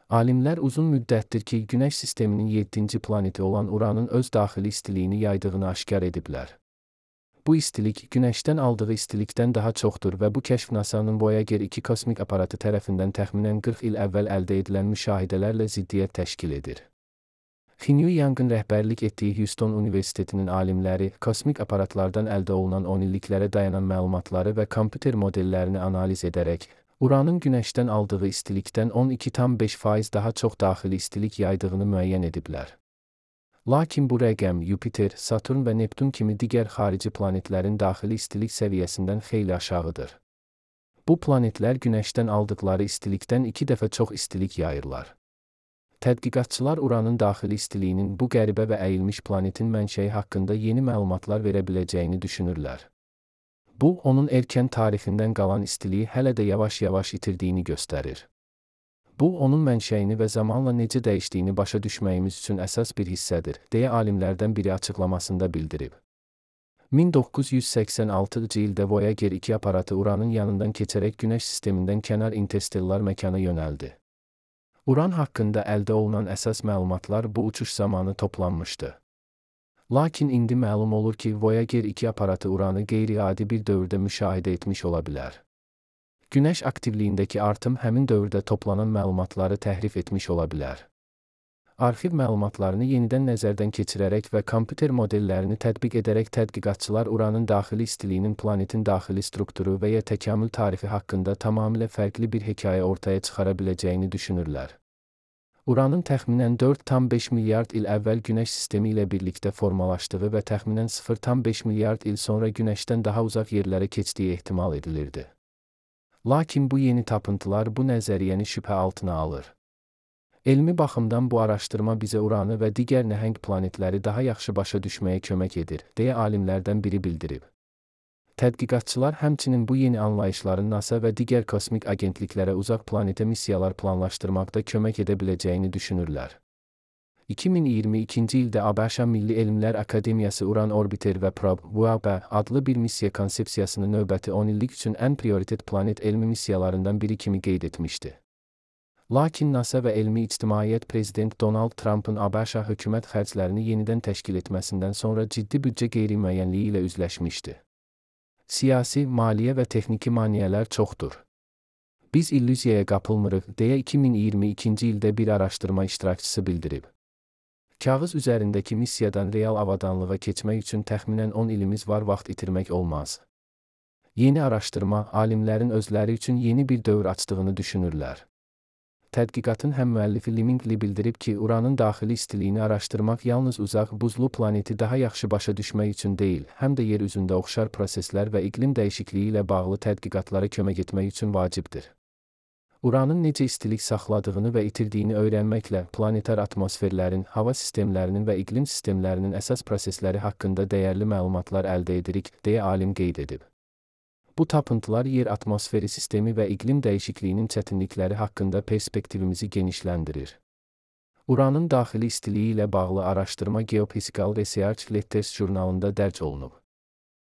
Alimlər uzun müddətdir ki, Günəş sisteminin 7-ci planeti olan Uranın öz daxili istiliyini yaydığını aşkar ediblər. Bu istilik, Günəşdən aldığı istilikdən daha çoxdur və bu kəşf NASA'nın Voyager 2 kosmik aparatı tərəfindən təxminən 40 il əvvəl əldə edilən müşahidələrlə ziddiyyət təşkil edir. Xinyu Yangın rəhbərlik etdiyi Houston Universitetinin alimləri, kosmik aparatlardan əldə olunan 10 illiklərə dayanan məlumatları və kompüter modellərini analiz edərək, Uranın Günəşdən aldığı istilikdən 12,5% daha çox daxili istilik yaydığını müəyyən ediblər. Lakin bu rəqəm Yupiter, Saturn və Neptun kimi digər xarici planetlərin daxili istilik səviyyəsindən xeyli aşağıdır. Bu planetlər Günəşdən aldıqları istilikdən 2 dəfə çox istilik yayırlar. Tədqiqatçılar Uranın daxili istiliyinin bu qəribə və əyilmiş planetin mənşəyi haqqında yeni məlumatlar verə biləcəyini düşünürlər. Bu, onun erkən tarixindən qalan istiliyi hələ də yavaş-yavaş itirdiyini göstərir. Bu, onun mənşəyini və zamanla necə dəyişdiyini başa düşməyimiz üçün əsas bir hissədir, deyə alimlərdən biri açıqlamasında bildirib. 1986-cı ildə Voyager 2 aparatı Uranın yanından keçərək Günəş sistemindən kənar interstellar məkana yönəldi. Uran haqqında əldə olunan əsas məlumatlar bu uçuş zamanı toplanmışdı. Lakin indi məlum olur ki, Voyager 2 aparatı Uranı qeyri-adi bir dövrdə müşahidə etmiş ola bilər. Günəş aktivliyindəki artım həmin dövrdə toplanan məlumatları təhrif etmiş ola bilər. Arxiv məlumatlarını yenidən nəzərdən keçirərək və kompüter modellərini tətbiq edərək tədqiqatçılar Uranın daxili istiliyinin planetin daxili strukturu və ya təkamül tarixi haqqında tamamilə fərqli bir hekayə ortaya çıxara biləcəyini düşünürlər. Uranın təxminən 4,5 milyard il əvvəl Günəş sistemi ilə birlikdə formalaşdığı və təxminən 0,5 milyard il sonra Günəşdən daha uzaq yerlərə keçdiyi ehtimal edilirdi. Lakin bu yeni tapıntılar bu nəzəriyyəni şübhə altına alır. Elmi baxımdan bu araşdırma bizə Uranı və digər nəhəng planetləri daha yaxşı başa düşməyə kömək edir, deyə alimlərdən biri bildirib. Tədqiqatçılar həmçinin bu yeni anlayışların NASA və digər kosmik agentliklərə uzaq planetə missiyalar planlaşdırmaqda kömək edə biləcəyini düşünürlər. 2022-ci ildə ABŞ Milli Elmlər Akademiyası Uran Orbiter və Probe (UAP) adlı bir missiya konsepsiyasını növbəti 10 illik üçün ən prioritet planet elmi missiyalarından biri kimi qeyd etmişdi. Lakin NASA və elmi ictimaiyyət Prezident Donald Trump'ın ABŞ hökumət xərclərini yenidən təşkil etməsindən sonra ciddi büdcə qeyri-müəyyənliyi ilə üzləşmişdi. Siyasi, maliyyə və texniki maneələr çoxdur. Biz illüziyaya qapılmırıq, deyə 2022-ci ildə bir araşdırma iştirakçısı bildirib. Kağız üzərindəki missiyadan real avadanlığa keçmək üçün təxminən 10 ilimiz var, vaxt itirmək olmaz. Yeni araşdırma, alimlərin özləri üçün yeni bir dövr açdığını düşünürlər. Tədqiqatın həmmüəllifi Limingli bildirib ki, Uranın daxili istiliyini araşdırmaq yalnız uzaq, buzlu planeti daha yaxşı başa düşmək üçün deyil, həm də yer üzündə oxşar proseslər və iqlim dəyişikliyi ilə bağlı tədqiqatlara kömək etmək üçün vacibdir. Uranın necə istilik saxladığını və itirdiyini öyrənməklə planetar atmosferlərin, hava sistemlərinin və iqlim sistemlərinin əsas prosesləri haqqında dəyərli məlumatlar əldə edirik, deyə alim qeyd edib. Bu tapıntılar yer atmosferi sistemi və iqlim dəyişikliyinin çətinlikləri haqqında perspektivimizi genişləndirir. Uranın daxili istiliyi ilə bağlı araşdırma Geophysical Research Letters jurnalında dərc olunub.